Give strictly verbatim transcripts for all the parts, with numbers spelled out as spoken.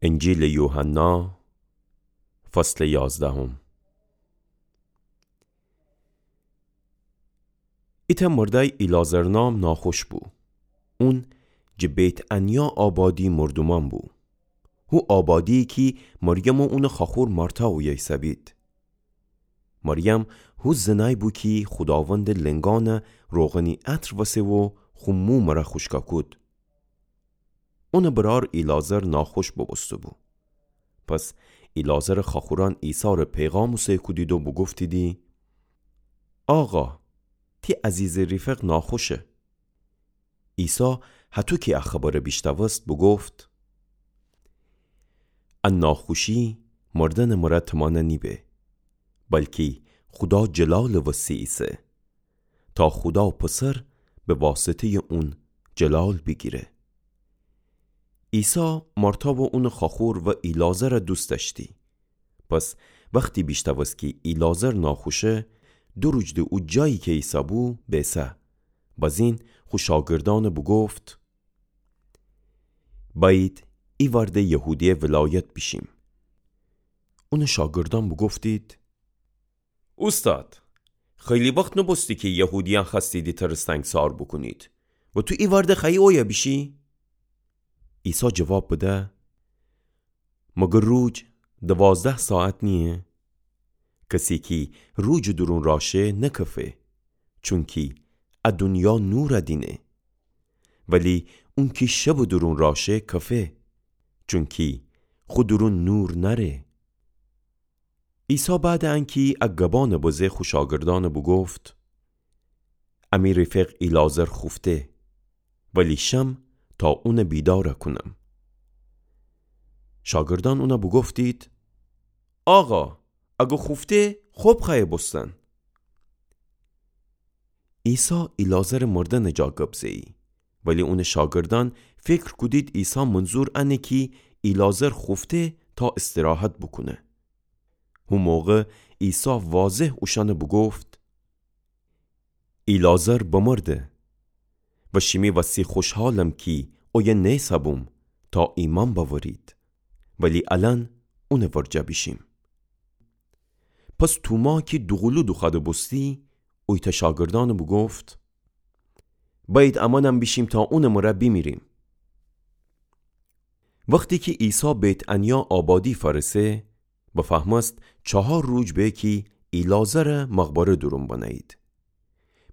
انجیلٚ یوحنا، فصلٚ یازدهم. ایتأ مردأی ایلعازر نام ناخوش بو. اون جٚه بیت‌عنیا آبادی مردومأن بو. هو آبادی‌یی کی مریم و اونٚ خوأخور مارتا اویه ایسه‌بید. مریم هو زنأی بو کی خوداوندٚ لنگأنَ روغنی عطر وسه و خو مو مره خوشکا کود. اونٚ برأر ایلعازر ناخوش بوبوسته‌بو. پس ایلعازرٚ خوأخورأن عیسی‌ره پیغام اوسه کودید و بوگفتیدی: آقا، تی عزیزٚ ریفق ناخوشه. عیسی هطو کی ا خبرَ بیشتأوست، بوگفت: ا ناخوشی مردنٚ مره تمانه نیبه، بلکی خودا جلالٚ وسی ایسه، تا خودا پسر به واسطه‌یٚ اون جلال بیگیره. عیسی مارتا و اونٚ خوأخور و ایلعازرَ دوست دأشتی. پس وختی بیشتأوست کی ایلعازر ناخوشه، دو روج د او جایی کی ایسه‌بو بیسه. بزین خو شاگردأنَ بوگفت: بأیید ایوأر د یهودیه ولایت بیشیم. اونٚ شاگردأن بوگفتید: اوستاد، خیلی وخت نوبوسته کی یهودیأن خوأستیدی تر سنگسار بوکونید و تو ایوأر د خوأیی اویه بیشی؟ عیسی جواب بده: مگر روج دوازده ساعت نییه؟ کسی کی روجٚ دورون رأ شه نکفه، چونکی ا دونیا نورَ دینه. ولی اونکی شبٚ دورون رأ شه کفه، چونکی خو دورون نور نأره. عیسی بعدٚ انکی ا گبأنَ بزه خو شاگردأنَ بوگفت: امی ریفق ایلعازر خوفته، ولی شم تا اونَ بیدارَ کونم. شاگردأن اونَ بوگفتید: آقا، اگر خوفته، خب خوأیه بوستن. عیسی ایلعازرٚ مردنٚ جا گب زه‌یی. ولی اونٚ شاگردأن فکر کودید عیسی منظور انه کی ایلعازر خوفته تا استراحت بوکونه. هو موقع عیسی واضح اوشأنَ بوگفت: ایلعازر بمرده و شیمی وسی خوشحالم کی اویه نیسه‌بوم تا ایمأن بأورید، ولی الأن اونٚ ورجه بیشیم. پس توما کی دوقولو دوخوأده بوستی، اویتأ شاگردأنَ بوگفت: بأیید امأنم بیشیم تا اونٚ مره بیمیریم. وختی کی عیسی بیت‌عنیا آبادی فأرسه، بفهمست چهار روج به کی ایلعازرَ مقبره دورون بنه‌یید.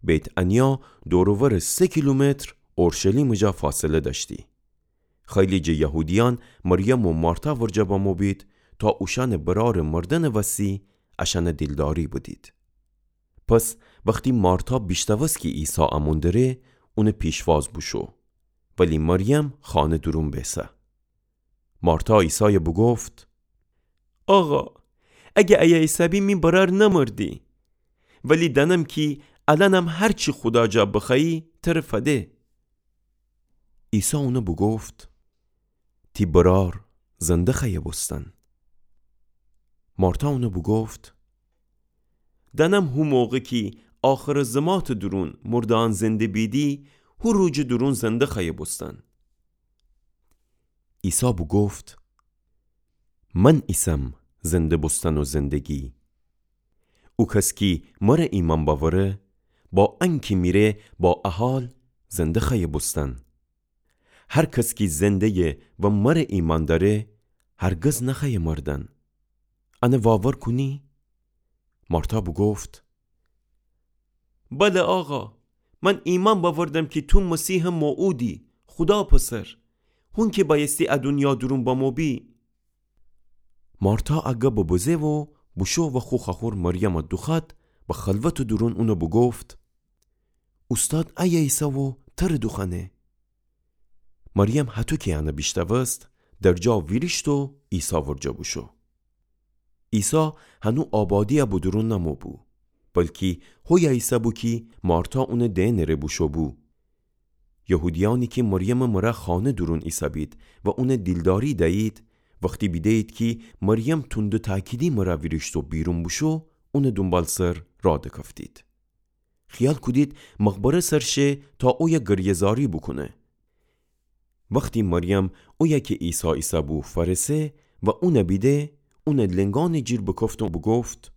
بیت‌عنیا دور و ورٚ سه کیلومتر اورشلیمٚ جا فاصله دأشتی. خیلی جٚه یهودیأن مریم و مارتا ورجه بمو بید تا اوشأنٚ برأرٚ مردنٚ وسی اشأنَ دیلداری بدید. پس وختی مارتا بیشتأوست کی عیسی امون دره، اونٚ پیشواز بوشو، ولی مریم خانه دورون بیسه. مارتا عیسایَ بوگفت: آقا، اگه ایه ایسه‌بی می برأر نمردی. ولی دأنم کی الأنم هر چی خودا جا بخوأیی تر فده. عیسی اونَ بوگفت: تی برأر زنده خوأیه بوستن. مارتا اونَ بوگفت: دأنم هو موقع کی آخرٚ زماتٚ دورون مرده‌یأن زنده بیدی، هو روجٚ دورون زنده خوأیه بوستن. عیسی بوگفت: من ایسم زنده بوستن و زندگی. او کس کی مره ایمأن بأوره، با انکی میره با ا حال زنده خوأیه بوستن. هر کس کی زنده‌یه و مره ایمأن دأره، هرگز نخوأیه مردن. انَ واور کونی؟ مارتا بوگفت: بله آقا، من ایمأن بأوردم کی تو مسیحٚ موعودی، خودا پسر، هون کی بأیستی ا دونیا دورون بمو بی. مارتا ا گبَ بزه و بوشو و خو خوأخور مریمَ دوخوأد، به خلوتٚ دورون اونَ بوگفت: اوستاد ایه ایسه و تر دوخوأنه. مریم هطو کی انَ بیشتأوست، در جا ویریشت و عیسی ورجه بوشو. عیسی هنو آبادیَ به دورون نمو بو، بلکی هویه ایسه بو کی مارتا اونٚ دئنٚ ره بوشو بو. یهودیأنی کی مریمٚ مره خانه دورون ایسه‌بید و اونَ دیلداری دیید، وختی بیده‌یید کی مریم توندٚ تأکیدی مره ویریشت و بیرون بوشو، اونٚ دونبالسر راه دکفتید. خیال کودید مقبره سر شه تا اویه گریه‌زاری بوکونه. وختی مریم اویه کی عیسی ایسه‌بو فأرسه و اونَ بیده، اونٚ لنگأنٚ جیر بکفت و بوگفت: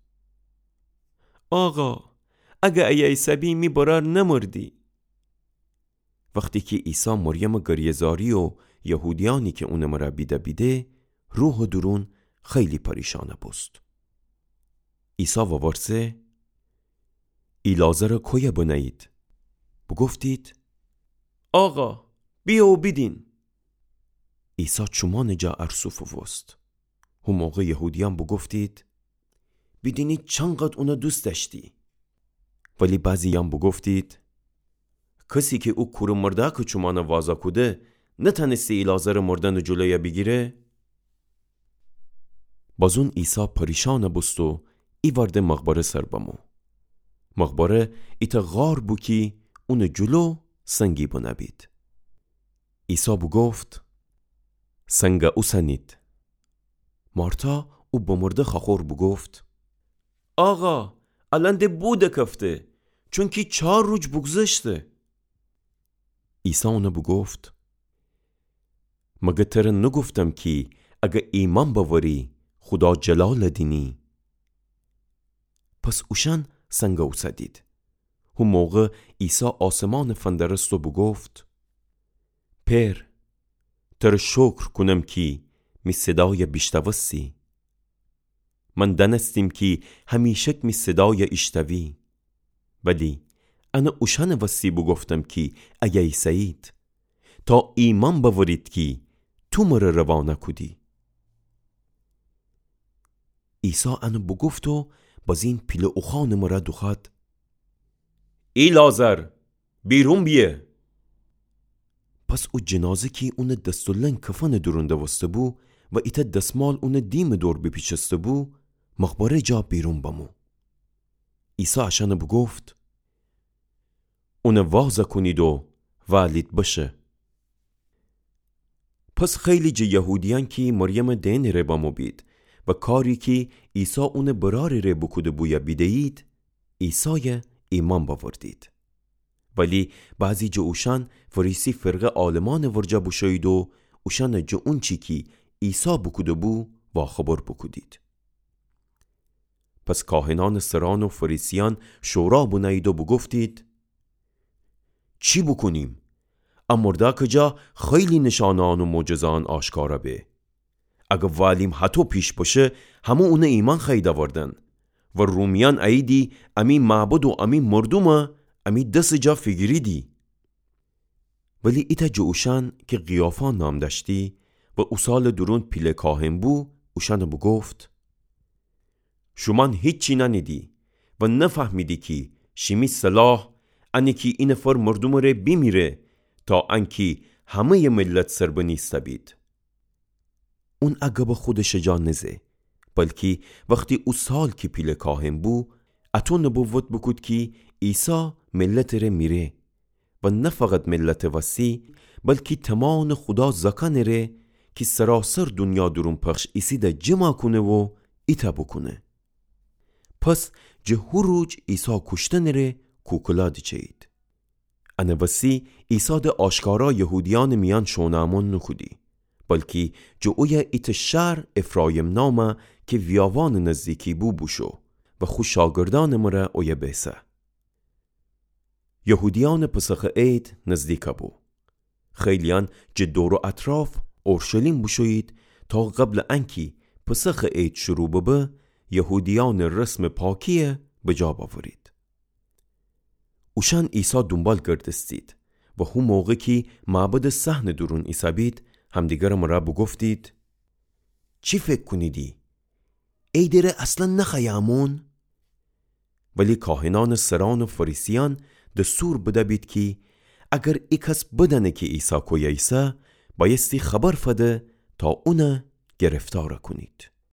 آقا، اگر ایه ایسه‌بی، می برأر نمردی. وختی کی عیسی مریمٚ گریه‌زاری و یهودیأنی کی اونٚ مرا بیده بیده، روحٚ دورون خیلی پریشانَ بوست. عیسی وورسه: ایلعازرَ کویه بنه‌یید؟ بوگفتید: آقا، بیه و بیدین. عیسی چومأنٚ جا ارسو فووست. هو موقع یهودیأن بوگفتید: بیدینید چنقدر اونَ دوست دأشتی. ولی بعضییأن بوگفتید: کسی کی او کورٚ مردأکٚ چومأنَ وازَ کوده، نتأنستی ایلعازرٚ مردنٚ جلویَ بیگیره؟ بازون عیسی پریشانَ بوست و ایوأرده مقبره سر بمو. مقبره ایتأ غار بو کی اونٚ جلو سنگی بنه بید. عیسی بوگفت: سنگَ اوسنید. مارتا، او بمرده خوأخور، بوگفت: آقا، الأن د بو دکفته، چونکی چار روج بوگذشته. عیسی اونَ بوگفت: مگر تره نوگفتم کی اگر ایمأن بأوری، خودا جلالَ دینی؟ پس اوشأن سنگَ اوسدید. هو موقع عیسی آسمانَ فندرست و بوگفت: پئر، تره شکر کونم کی می صدایَ بیشتأوستی. من دأنستیم کی همیشک می صدایَ ایشتأوی. ولی انَ اوشأنٚ وستی بوگفتم کی ایه ایسه‌یید، تا ایمأن بأورید کی تو مره روانه کودی. عیسی انَ بوگفت و بازین پیله اوخوأنٚ مره دوخوأد: ایلعازر، بیرون بیه! پس او جنازه کی اونٚ دس و لنگ کفنٚ دورون دوسته‌بو و ایتأ دسمال اونٚ دیمٚ دور بیپیچسته‌بو، مقبره جا بیرون بمو. عیسی اشأنَ بوگفت: اونَ وازَ کونید و وألید بشه. پس خیلی جٚه یهودیأن کی مریمٚ دئنٚ ره بمو بید و کاری کی عیسی اونٚ برأرٚ ره بوکوده‌بویَ بیده‌یید، عیسایَ ایمأن بأوردید. ولی بعضی جٚه اوشأن فریسی فرقه عالمأنٚ ورجه بوشویید و اوشأنَ جٚه اونچی کی عیسی بوکوده‌بو واخبر بوکودید. پس کاهنأنٚ سرأن و فریسیأن شورا بنه‌یید و بوگفتید: چی بوکونیم؟ ا مردأکٚ جا خیلی نشانه‌أن و معجزه‌أن آشکارَ به. اگر وألیم هطو پیش بشه، همه اونَ ایمأن خوأیید أوردن. و رومیأن اییدی امی معبد و امی مردومَ امی دسٚ جا فیگیریدی. ولی ایتأ جٚه اوشأن کی قیافا نام دأشتی و او سالٚ دورون پیله کاهن بو، اوشأنَ بوگفت: شومأن هیچی نأنیدی و نفهمیدی کی شیمی صلاح انه کی ای نفر مردومٚ ره بیمیره، تا انکی همه‌یٚ ملت سربنیسته بید. اون ا گبَ خودشٚ جا نزه، بلکی وختی او سال کی پیله کاهن بو، اطو نبوت بوکود کی عیسی ملتٚ ره میره و نه فقط ملتٚ وسی، بلکی تومانٚ خودا زأکأنٚ ره کی سراسر دونیا دورون پخش ایسیده جمع کونه و ایتأ بوکونه. پس جٚه هو روج عیسی کوشتنٚ ره کوکلا دیچه‌یید. انٚ وسی عیسی د آشکارا یهودیأنٚ میأن شونٚ امون نوکودی، بلکی جٚه اویه ایتأ شهر افرایم نامه کی ویاوانٚ نزدیکی بو بوشو و خو شاگردأنٚ مره اویه بیسه. یهودیأنٚ پسخٚ عید نزدیک بو. خیلیأن جٚه دور و اطراف اورشلیم بوشویید تا قبلٚ انکی پسخٚ عید شروع ببه، یهودیأنٚ رسمٚ پاکیی بجا بأورید. اوشأن عیسی دونبال گردستید و هو موقع کی معبدٚ صحنٚ دورون ایسه‌بید، همدیگرٚ مره بوگفتید: چی فکر کونیدی؟ عیدٚ ره اصلا نخوأیه امون؟ ولی کاهنأنٚ سرأن و فریسیأن دستور بده‌بید کی اگر ای کس بدأنه کی عیسی کویه ایسه، بأیستی خبر فده تا اون گرفتار کونید.